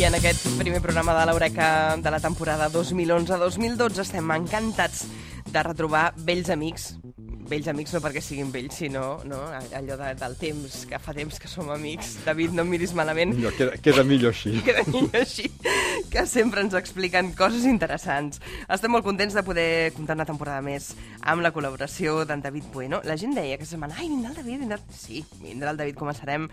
I en aquest primer programa de l'Eureka de la temporada 2011-2012 estem encantats de retrobar vells amics no perquè siguin vells, sinó allò del temps, que fa temps que som amics. David, no em miris malament. No, queda millor així. Queda millor així, que sempre ens expliquen coses interessants. Estem molt contents de poder comptar una temporada més amb la col·laboració d'en David Bueno. La gent deia que setmana, vindrà el David, Sí, vindrà el David, començarem.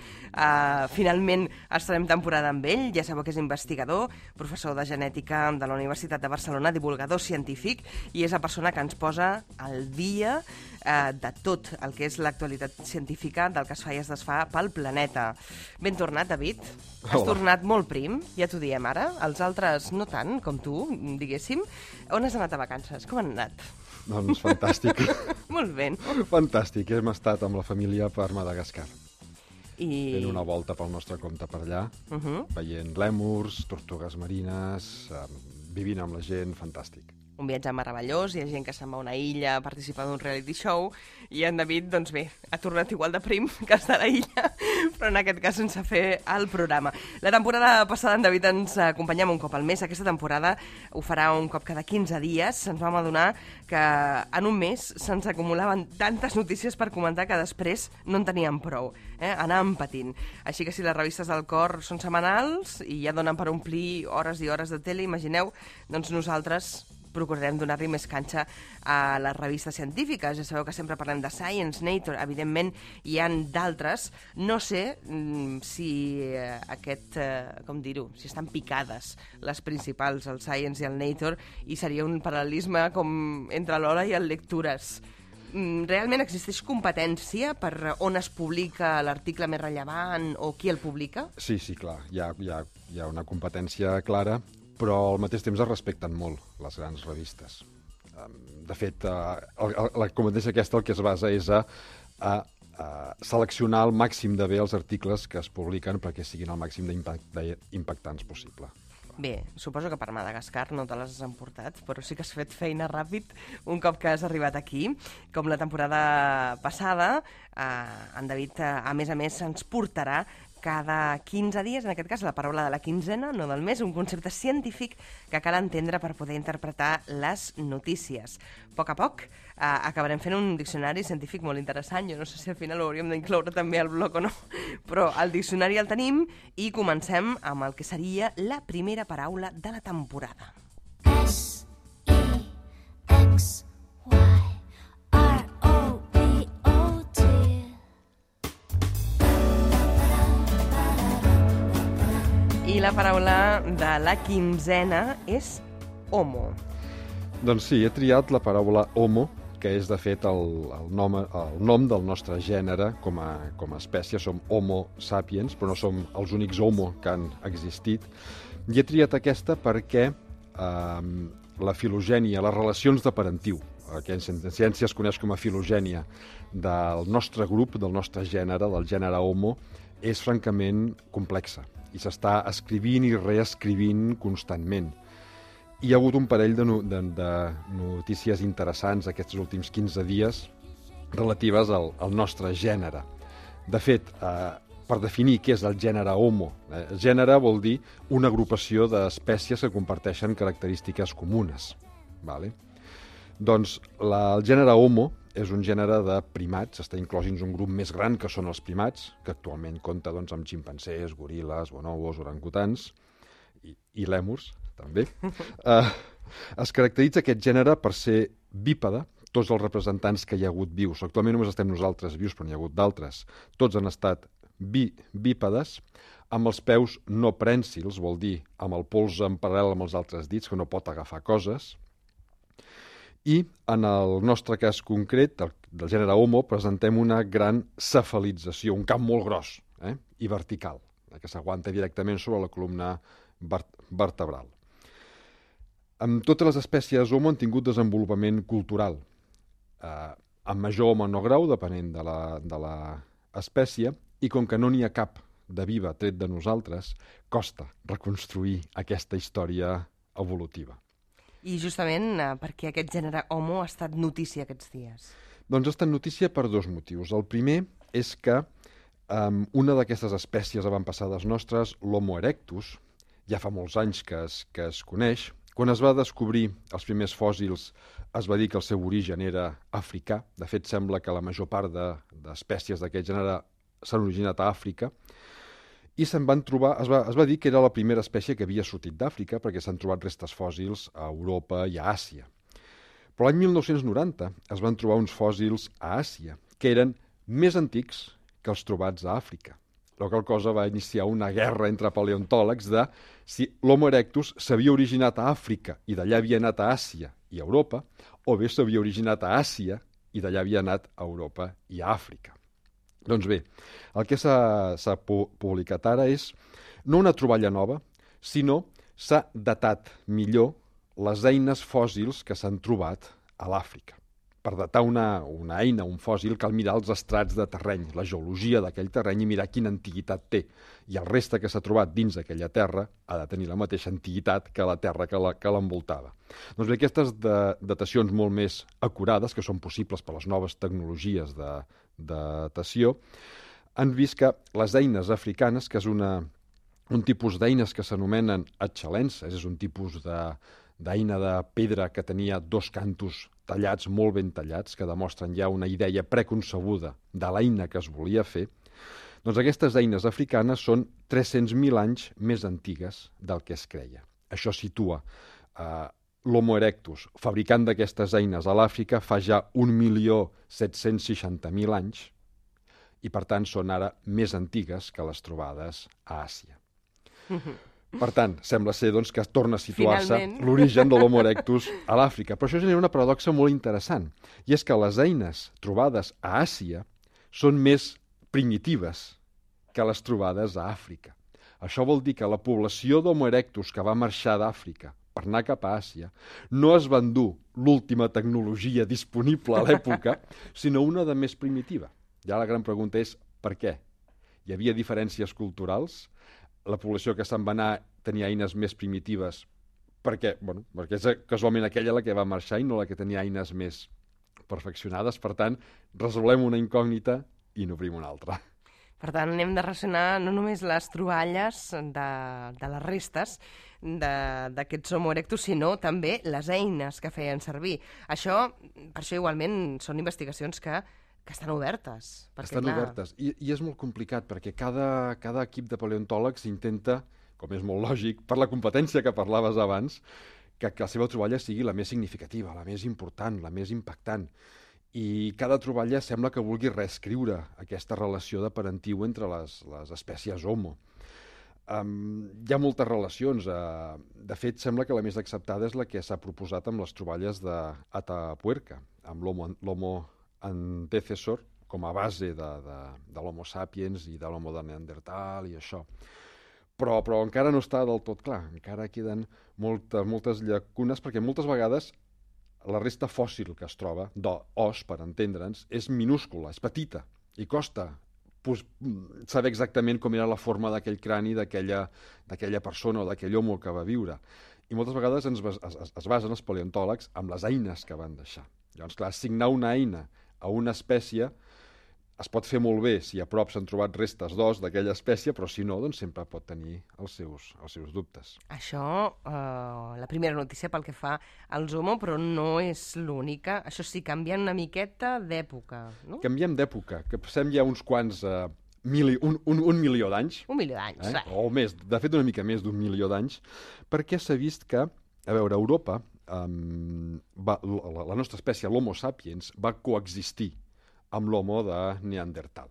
Finalment estarem temporada amb ell, ja sabeu que és investigador, professor de genètica de la Universitat de Barcelona, divulgador científic, i és la persona que ens posa al dia de tot el que és l'actualitat científica del que es fa i es desfà pel planeta. Ben tornat, David. Has tornat molt prim, ja t'ho diem ara. Els altres no tant, com tu, diguéssim. On has anat a vacances? Com han anat? Doncs fantàstic. Molt bé. Fantàstic. Hem estat amb la família per Madagascar. Fent una volta pel nostre compte per allà, veient lèmurs, tortugues marines, vivint amb la gent, fantàstic. Un viatge meravellós, hi ha gent que se'n va a una illa a participar d'un reality show, i en David, doncs bé, ha tornat igual de prim que està a la illa, però en aquest cas sense fer el programa. La temporada passada en David ens acompanyava un cop al mes, aquesta temporada ho farà un cop cada 15 dies, ens vam adonar que en un mes se'ns acumulaven tantes notícies per comentar que després no en teníem prou, anàvem patint. Així que si les revistes del cor són setmanals i ja donen per omplir hores i hores de tele, imagineu, doncs nosaltres procurarem donar-li més canxa a les revistes científiques. Ja sabeu que sempre parlem de Science, Nature, evidentment hi ha d'altres. No sé si si estan picades les principals, el Science i el Nature, i seria un paral·lelisme com entre l'hora i el Lectures. Realment existeix competència per on es publica l'article més rellevant o qui el publica? Sí, clar. Hi ha una competència clara, però al mateix temps es respecten molt les grans revistes. De fet, la competència aquesta el que es basa és a seleccionar el màxim de bé els articles que es publiquen perquè siguin el màxim d'impactants possible. Bé, suposo que per Madagascar no te les has emportat, però sí que has fet feina ràpid un cop que has arribat aquí. Com la temporada passada, en David, a més, ens portarà cada 15 dies, en aquest cas la paraula de la quinzena, no del mes, un concepte científic que cal entendre per poder interpretar les notícies. A poc acabarem fent un diccionari científic molt interessant. Jo no sé si al final ho hauríem d'incloure també al blog o no, però el diccionari el tenim i comencem amb el que seria la primera paraula de la temporada. I la paraula de la quinzena és homo. Doncs sí, he triat la paraula homo, que és de fet el nom del nostre gènere com a espècie. Som homo sapiens, però no som els únics homo que han existit. I he triat aquesta perquè la filogènia, les relacions de parentiu, que en ciència es coneix com a filogènia, del nostre grup, del nostre gènere, del gènere homo, és francament complexa i s'està escrivint i reescrivint constantment. Hi ha hagut un parell de notícies interessants aquests últims 15 dies relatives al nostre gènere. De fet, per definir què és el gènere homo, gènere vol dir una agrupació d'espècies que comparteixen característiques comunes. Doncs el gènere homo és un gènere de primats, està inclòs dins un grup més gran que són els primats, que actualment compta amb ximpancers, goril·les, bonobos, orangutans i lèmurs, també. Es caracteritza aquest gènere per ser bípede. Tots els representants que hi ha hagut vius, actualment només estem nosaltres vius, però n'hi ha hagut d'altres, tots han estat bípedes, amb els peus no prènsils, vol dir amb el pols en paral·lel amb els altres dits, que no pot agafar coses. I en el nostre cas concret, del gènere homo, presentem una gran cefalització, un cap molt gros i vertical, que s'aguanta directament sobre la columna vertebral. Totes les espècies homo han tingut desenvolupament cultural, en major o menor grau, depenent de l'espècie, i com que no n'hi ha cap de viva tret de nosaltres, costa reconstruir aquesta història evolutiva. I justament perquè aquest gènere homo ha estat notícia aquests dies? Doncs ha estat notícia per dos motius. El primer és que una d'aquestes espècies avantpassades nostres, l'Homo erectus, ja fa molts anys que es coneix. Quan es va descobrir els primers fòssils es va dir que el seu origen era africà. De fet, sembla que la major part d'espècies d'aquest gènere s'han originat a Àfrica. I se'n van trobar, es va dir que era la primera espècie que havia sortit d'Àfrica perquè s'han trobat restes fòssils a Europa i a Àsia. Però l'any 1990 es van trobar uns fòssils a Àsia que eren més antics que els trobats a Àfrica. La qual cosa va iniciar una guerra entre paleontòlegs de si l'Homo erectus s'havia originat a Àfrica i d'allà havia anat a Àsia i a Europa, o bé s'havia originat a Àsia i d'allà havia anat a Europa i a Àfrica. Doncs bé, el que s'ha publicat ara és no una troballa nova, sinó s'ha datat millor les eines fòssils que s'han trobat a l'Àfrica. Per datar una eina, un fòssil, cal mirar els estrats de terreny, la geologia d'aquell terreny i mirar quina antiguitat té. I el reste que s'ha trobat dins d'aquella terra ha de tenir la mateixa antiguitat que la terra que l'envoltava. Doncs bé, aquestes datacions molt més acurades, que són possibles per les noves tecnologies de datació, han vist que les eines africanes, que és un tipus d'eines que s'anomenen atxalenses, és un tipus d'eina de pedra que tenia dos cantos tallats, molt ben tallats, que demostren ja una idea preconcebuda de l'eina que es volia fer, doncs aquestes eines africanes són 300.000 anys més antigues del que es creia. Això situa l'Homo erectus, fabricant d'aquestes eines a l'Àfrica, fa ja 1.760.000 anys i, per tant, són ara més antigues que les trobades a Àsia. Per tant, sembla ser doncs, que torna a situar-se l'origen de l'Homo erectus a l'Àfrica. Però això genera una paradoxa molt interessant, i és que les eines trobades a Àsia són més primitives que les trobades a Àfrica. Això vol dir que la població d'Homo erectus que va marxar d'Àfrica per anar cap a Àsia no es va endur l'última tecnologia disponible a l'època, sinó una de més primitiva. Ja la gran pregunta és per què? Hi havia diferències culturals? La població que se'n va anar tenia eines més primitives perquè és casualment aquella la que va marxar i no la que tenia eines més perfeccionades. Per tant, resolem una incògnita i n'obrim una altra. Per tant, hem de relacionar no només les troballes de les restes d'aquests Homo erectus, sinó també les eines que feien servir. Per això igualment són investigacions que estan obertes. Estan obertes. I és molt complicat, perquè cada equip de paleontòlegs intenta, com és molt lògic, per la competència que parlaves abans, que la seva troballa sigui la més significativa, la més important, la més impactant. I cada troballa sembla que vulgui reescriure aquesta relació de parentiu entre les espècies Homo. Hi ha moltes relacions. De fet, sembla que la més acceptada és la que s'ha proposat amb les troballes d'Atapuerca, amb l'Homo antecessor com a base de l'Homo sapiens i de l'Homo de Neandertal i això. Però encara no està del tot clar. Encara queden moltes llacunes, perquè moltes vegades la resta fòssil que es troba, d'os, per entendre'ns, és minúscula, és petita, i costa saber exactament com era la forma d'aquell crani d'aquella persona o d'aquell homo que va viure. I moltes vegades es basen els paleontòlegs amb les eines que van deixar. Llavors, clar, assignar una eina a una espècie es pot fer molt bé si a prop s'han trobat restes d'os d'aquella espècie, però si no, doncs sempre pot tenir els seus dubtes. Això, la primera notícia pel que fa als Homo, però no és l'única. Això sí, canvien una miqueta d'època, no? Canviem d'època, que passem ja uns quants... un milió d'anys. Un milió d'anys, O més, de fet una mica més d'un milió d'anys, perquè s'ha vist que, a veure, a Europa, la nostra espècie, l'Homo sapiens, va coexistir amb l'Homo de Neandertal.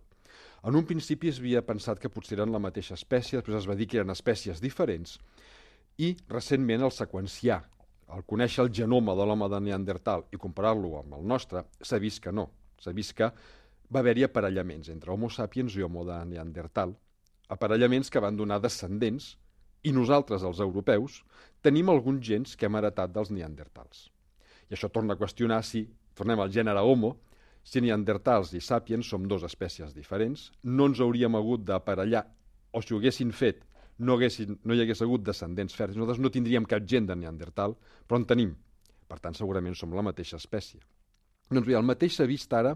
En un principi es havia pensat que potser eren la mateixa espècie, després es va dir que eren espècies diferents, i recentment el seqüenciar, al conèixer el genoma de l'home de Neandertal i comparar-lo amb el nostre, s'ha vist que no. S'ha vist que va haver-hi aparellaments entre Homo sapiens i Homo de Neandertal, aparellaments que van donar descendents, i nosaltres, els europeus, tenim alguns gens que hem heretat dels neandertals. I això torna a qüestionar si, tornem al gènere Homo, si neandertals i sàpiens som dues espècies diferents, no ens hauríem hagut d'aparellar, o si ho haguessin fet, no hi hagués hagut descendents fèrtils. Nosaltres no tindríem cap gent de neandertal, però en tenim. Per tant, segurament som la mateixa espècie. Doncs bé, el mateix s'ha vist ara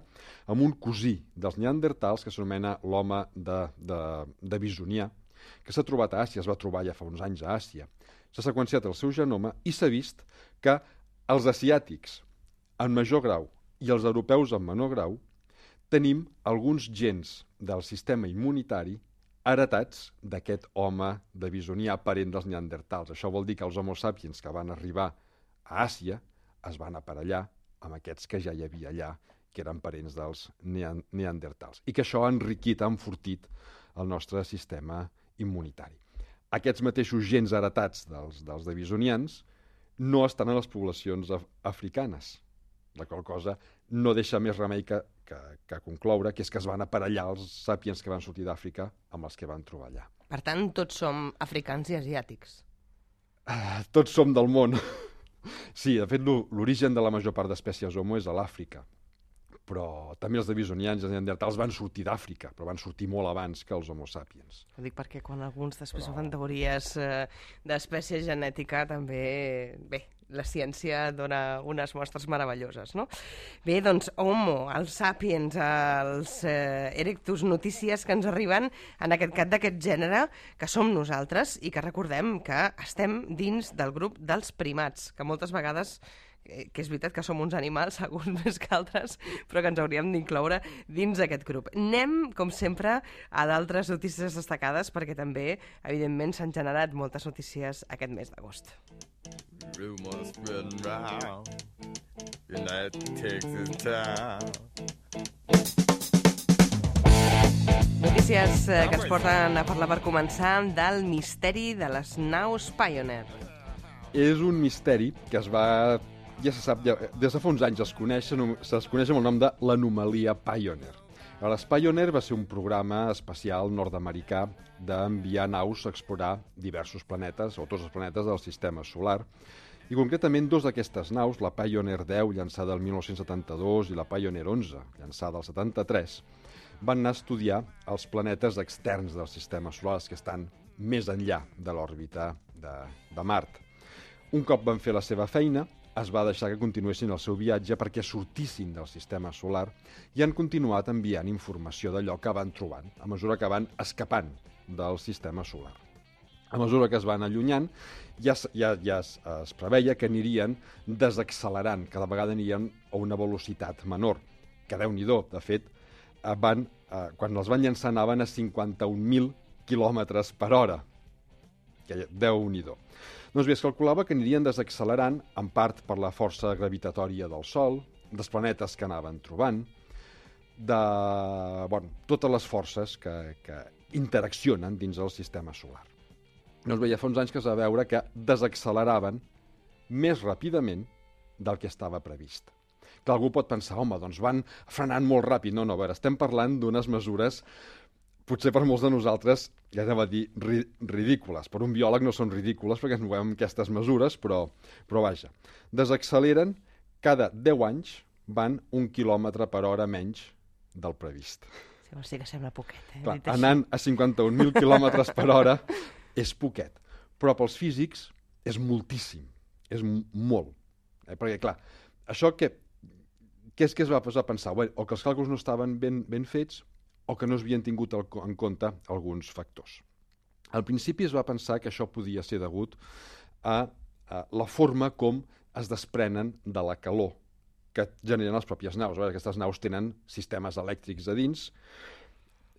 amb un cosí dels neandertals, que s'anomena l'home de Bisonià, que s'ha trobat a Àsia, es va trobar ja fa uns anys a Àsia. S'ha seqüenciat el seu genoma i s'ha vist que els asiàtics en major grau i els europeus en menor grau tenim alguns gens del sistema immunitari heretats d'aquest home de bisonià parent dels neandertals. Això vol dir que els homo sapiens que van arribar a Àsia es van aparellar amb aquests que ja hi havia allà, que eren parents dels neandertals, i que això ha enriquit, ha enfortit el nostre sistema immunitari. Aquests mateixos gens heretats dels devisonians no estan en les poblacions africanes, la qual cosa no deixa més remei que concloure que és que es van aparellar els sàpiens que van sortir d'Àfrica amb els que van trobar allà. Per tant, tots som africans i asiàtics. Tots som del món. Sí, de fet, l'origen de la major part d'espècies Homo és a l'Àfrica, però també els devisonians i els neandertals van sortir d'Àfrica, però van sortir molt abans que els Homo sapiens. Ho dic perquè quan alguns després fan teories d'espècie genètica també... Bé, la ciència dona unes mostres meravelloses, no? Bé, doncs, Homo, els Sapiens, els Erectus, notícies que ens arriben en aquest cas d'aquest gènere, que som nosaltres i que recordem que estem dins del grup dels primats, que moltes vegades, que és veritat que som uns animals, alguns més que altres, però que ens hauríem d'incloure dins aquest grup. Anem, com sempre, a d'altres notícies destacades, perquè també, evidentment, s'han generat moltes notícies aquest mes d'agost. Rumors spreading round United Texas town. Notícies que ens porten a parlar per començar del misteri de les naus Pioneer. És un misteri que es va... Ja se sap, des de fa uns anys es coneix amb el nom de l'anomalia Pioneer. Les Pioneer va ser un programa espacial nord-americà d'enviar naus a explorar diversos planetes, o tots els planetes del sistema solar, i concretament dos d'aquestes naus, la Pioneer 10, llançada el 1972, i la Pioneer 11, llançada el 73, van anar a estudiar els planetes externs del sistema solar, els que estan més enllà de l'òrbita de Mart. Un cop van fer la seva feina, es va deixar que continuessin el seu viatge perquè sortissin del sistema solar i han continuat enviant informació d'allò que van trobant, a mesura que van escapant del sistema solar. A mesura que es van allunyant, ja es preveia que anirien desaccelerant, cada vegada anirien a una velocitat menor, que Déu-n'hi-do, de fet, quan els van llançar anaven a 51.000 quilòmetres per hora, que Déu-n'hi-do. Doncs bé, es calculava que anirien desaccelerant, en part per la força gravitatòria del Sol, dels planetes que anaven trobant, totes les forces que interaccionen dins el sistema solar. Doncs bé, ja fa uns anys que es va veure que desacceleraven més ràpidament del que estava previst. Que algú pot pensar, home, doncs van frenant molt ràpid. No, a veure, estem parlant d'unes mesures potser per molts de nosaltres, ja anem a dir, ridícules. Per un biòleg no són ridícules perquè ens movem aquestes mesures, però vaja. Desacceleren, cada 10 anys van 1 quilòmetre per hora menys del previst. Sí que sembla poquet, Clar, anant a 51.000 quilòmetres per hora és poquet, però pels físics és moltíssim, és molt. Perquè, clar, això què és que es va posar a pensar? Bé, o que els càlculs no estaven ben fets, o que no s'havien tingut en compte alguns factors. Al principi es va pensar que això podia ser degut a la forma com es desprenen de la calor que generen les pròpies naus. Aquestes naus tenen sistemes elèctrics a dins.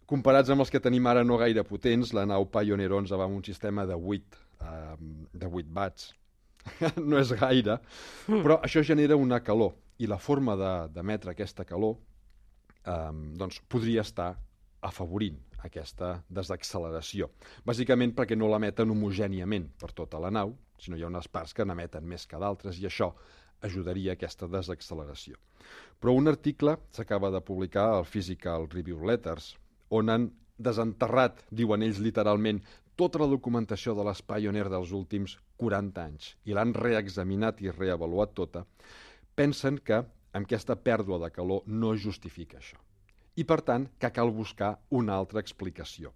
Comparats amb els que tenim ara no gaire potents, la nau Pioneer 11 va amb un sistema de 8 watts. No és gaire, però això genera una calor, i la forma d'emetre aquesta calor doncs podria estar afavorint aquesta desacceleració. Bàsicament perquè no l'emeten homogèniament per tota la nau, sinó hi ha unes parts que n'emeten més que d'altres, i això ajudaria a aquesta desacceleració. Però un article s'acaba de publicar al Physical Review Letters, on han desenterrat, diuen ells literalment, tota la documentació de les Pioneer dels últims 40 anys, i l'han reexaminat i reavaluat tota, pensen que amb aquesta pèrdua de calor no es justifica això. I, per tant, que cal buscar una altra explicació.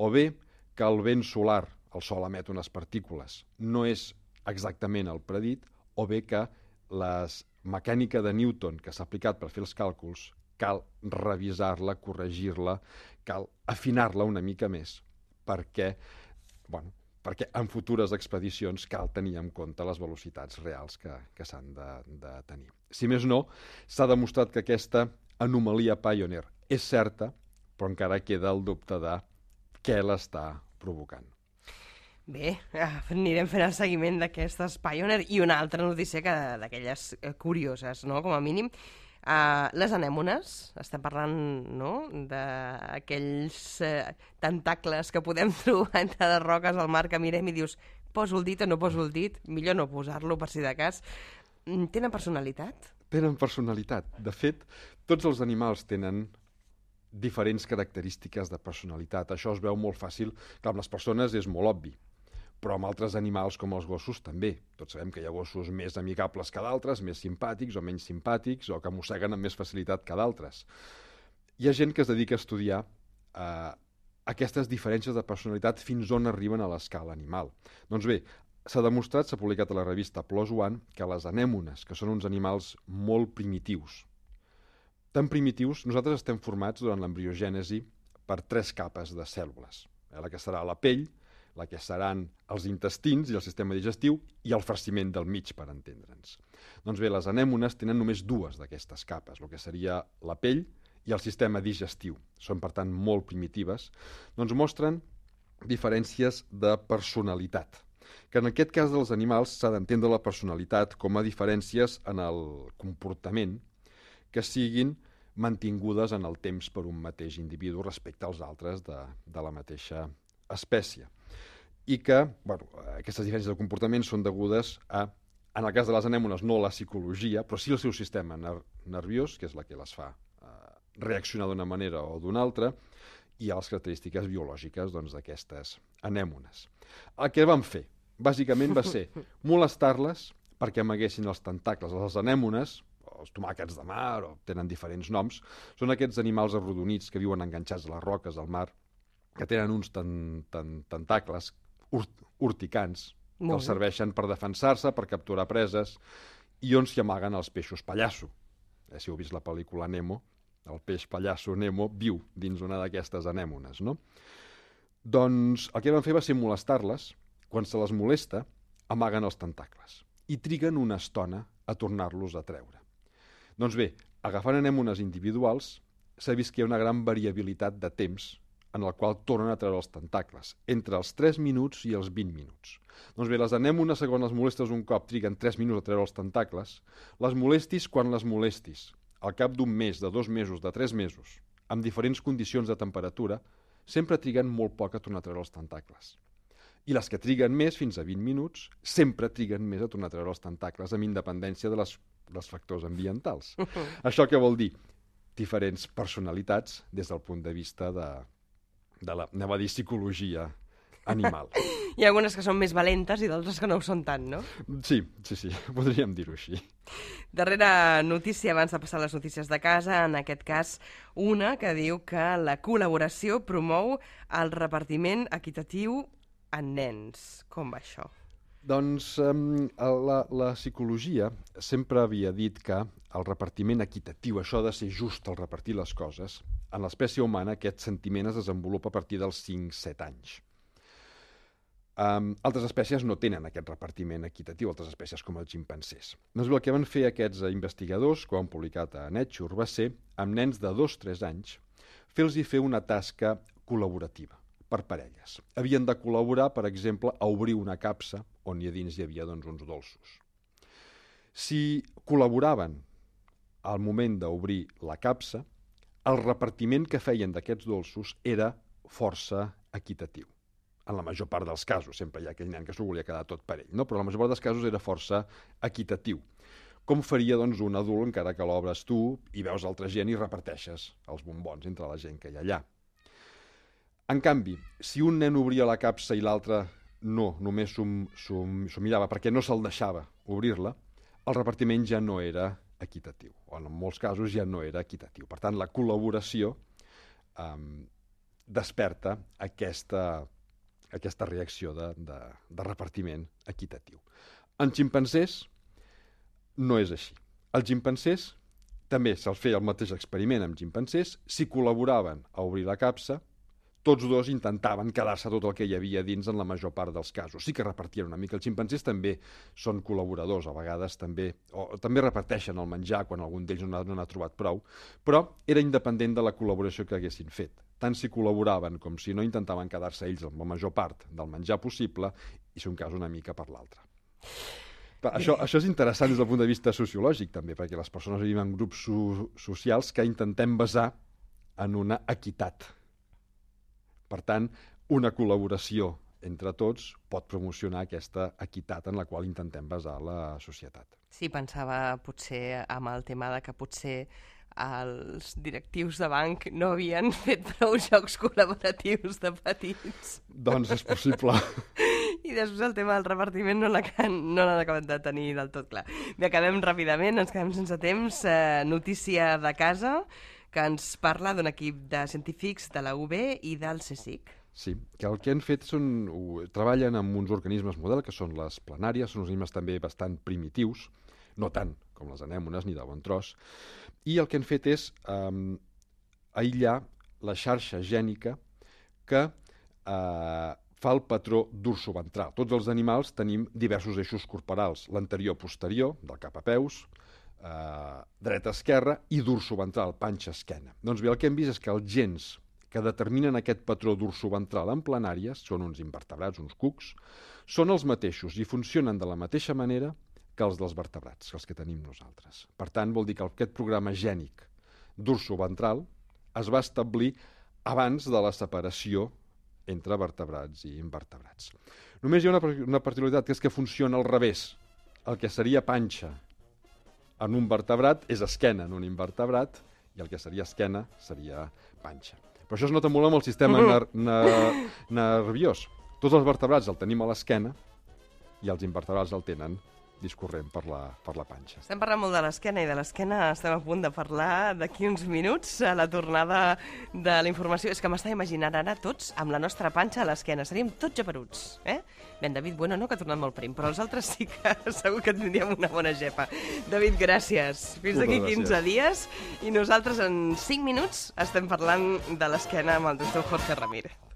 O bé que el vent solar, el Sol emet unes partícules, no és exactament el predit, o bé que la mecànica de Newton que s'ha aplicat per fer els càlculs cal revisar-la, corregir-la, cal afinar-la una mica més perquè en futures expedicions cal tenir en compte les velocitats reals que s'han de tenir. Si més no, s'ha demostrat que aquesta anomalia Pioneer és certa, però encara queda el dubte de què l'està provocant. Bé, anirem fent el seguiment d'aquestes Pioneer i una altra notícia d'aquelles curioses, no?, com a mínim. Les anèmones, estem parlant, no?, d'aquells tentacles que podem trobar entre les roques al mar que mirem i dius, poso el dit o no poso el dit, millor no posar-lo per si de cas. Tenen personalitat? Tenen personalitat. De fet, tots els animals tenen diferents característiques de personalitat. Això es veu molt fàcil. Clar, amb les persones és molt obvi, però amb altres animals com els gossos també. Tots sabem que hi ha gossos més amigables que d'altres, més simpàtics o menys simpàtics, o que mosseguen amb més facilitat que d'altres. Hi ha gent que es dedica a estudiar aquestes diferències de personalitat fins on arriben a l'escala animal. Doncs bé, s'ha demostrat, s'ha publicat a la revista PLOS ONE, que les anèmones, que són uns animals molt primitius, tan primitius, nosaltres estem formats durant l'embriogènesi per 3 capes de cèl·lules. La que serà la pell, la que seran els intestins i el sistema digestiu i el farciment del mig, per entendre'ns. Doncs bé, les anèmones tenen només 2 d'aquestes capes, el que seria la pell i el sistema digestiu. Són, per tant, molt primitives. Doncs mostren diferències de personalitat, que en aquest cas dels animals s'ha d'entendre la personalitat com a diferències en el comportament que siguin mantingudes en el temps per un mateix individu respecte als altres de la mateixa espècie. I que aquestes diferències de comportament són degudes a, en el cas de les anèmones, no la psicologia, però sí el seu sistema nerviós, que és la que les fa reaccionar d'una manera o d'una altra, i a les característiques biològiques d'aquestes anèmones. El que vam fer, bàsicament, va ser molestar-les perquè amaguessin els tentacles. Les anèmones, els tomàquets de mar, o tenen diferents noms, són aquests animals arrodonits que viuen enganxats a les roques del mar, que tenen uns tentacles urticants, que els serveixen per defensar-se, per capturar preses, i on s'hi amaguen els peixos pallasso. Si heu vist la pel·lícula Nemo, el peix pallasso Nemo viu dins una d'aquestes anèmones, no? Doncs el que van fer va ser molestar-les. Quan se les molesta, amaguen els tentacles i triguen una estona a tornar-los a treure. Doncs bé, agafant anèmones individuals, s'ha vist que hi ha una gran variabilitat de temps en el qual tornen a treure els tentacles, entre els 3 minuts i els 20 minuts. Doncs bé, les anèmones, segons les molestes un cop, triguen 3 minuts a treure els tentacles. Les molestis quan les molestis, al cap d'un mes, de 2 mesos, de 3 mesos, amb diferents condicions de temperatura, sempre triguen molt poc a tornar a treure els tentacles. I les que triguen més, fins a 20 minuts, sempre triguen més a tornar a treure els tentacles, amb independència dels factors ambientals. Això què vol dir? Diferents personalitats des del punt de vista de la, anem a dir, psicologia animal. Hi ha algunes que són més valentes i d'altres que no ho són tant, no? Sí, podríem dir-ho així. Darrera notícia, abans de passar a les notícies de casa, en aquest cas una que diu que la col·laboració promou el repartiment equitatiu en nens. Com va això? Doncs la psicologia sempre havia dit que el repartiment equitatiu, això de ser just al repartir les coses, en l'espècie humana aquest sentiment es desenvolupa a partir dels 5-7 anys. Altres espècies no tenen aquest repartiment equitatiu, altres espècies com els ximpancers. Doncs el que van fer aquests investigadors, que ho han publicat a Nature, va ser, amb nens de 2-3 anys, fer-los fer una tasca col·laborativa per parelles. Havien de col·laborar, per exemple, a obrir una capsa on a dins hi havia uns dolços. Si col·laboraven al moment d'obrir la capsa, el repartiment que feien d'aquests dolços era força equitatiu. En la major part dels casos, sempre hi ha aquell nen que s'ho volia quedar tot per ell, no? Però en la major part dels casos era força equitatiu. Com faria un adult encara que l'obres tu i veus altra gent i reparteixes els bombons entre la gent que hi ha allà. En canvi, si un nen obria la capsa i l'altre no, només s'ho mirava perquè no se'l deixava obrir-la, el repartiment ja no era equitatiu, o en molts casos ja no era equitatiu. Per tant, la col·laboració desperta aquesta reacció de repartiment equitatiu. En ximpancers no és així. Els ximpancers també se'ls feia el mateix experiment amb ximpancers, si col·laboraven a obrir la capsa, tots dos intentaven quedar-se tot el que hi havia dins en la major part dels casos. Sí que repartien una mica. Els ximpanzés també són col·laboradors, a vegades també reparteixen el menjar quan algun d'ells no n'ha trobat prou, però era independent de la col·laboració que haguessin fet. Tant si col·laboraven com si no intentaven quedar-se ells amb la major part del menjar possible i, si un cas, una mica per l'altre. Això és interessant des del punt de vista sociològic, també, perquè les persones vivim en grups socials que intentem basar en una equitat. Per tant, una col·laboració entre tots pot promocionar aquesta equitat en la qual intentem basar la societat. Sí, pensava potser amb el tema de que potser els directius de banc no havien fet prou jocs col·laboratius de petits. Doncs és possible. I després el tema del repartiment no l'han acabat de tenir del tot clar. Bé, acabem ràpidament, ens quedem sense temps. Notícia de casa, que ens parla d'un equip de científics de la UB i del CSIC. Sí, que el que han fet treballen amb uns organismes model, que són les planàries, són organismes també bastant primitius, no tant com les anèmones ni de bon tros, i el que han fet és aïllar la xarxa gènica que fa el patró dorsoventral. Tots els animals tenim diversos eixos corporals, l'anterior-posterior, del cap a peus, dreta-esquerra i dorsoventral, panxa-esquena. Doncs bé, el que hem vist és que els gens que determinen aquest patró dorsoventral en planàries, són uns invertebrats, uns cucs, són els mateixos i funcionen de la mateixa manera que els dels vertebrats, els que tenim nosaltres. Per tant, vol dir que aquest programa gènic dorsoventral es va establir abans de la separació entre vertebrats i invertebrats. Només hi ha una particularitat, que és que funciona al revés. El que seria panxa en un vertebrat és esquena en un invertebrat i el que seria esquena seria panxa. Però això es nota molt amb el sistema nerviós. Tots els vertebrats el tenim a l'esquena i els invertebrats el tenen discorrent per la panxa. Estem parlant molt de l'esquena i de l'esquena estem a punt de parlar d'aquí uns minuts a la tornada de la informació. És que m'estava imaginant ara tots amb la nostra panxa a l'esquena. Seríem tots geperuts, eh? Ben, David, bueno, no, que ha tornat molt prim, però els altres sí que segur que tindríem una bona gepa. David, gràcies. Fins d'aquí 15 dies i nosaltres en 5 minuts estem parlant de l'esquena amb el doctor Jorge Ramírez.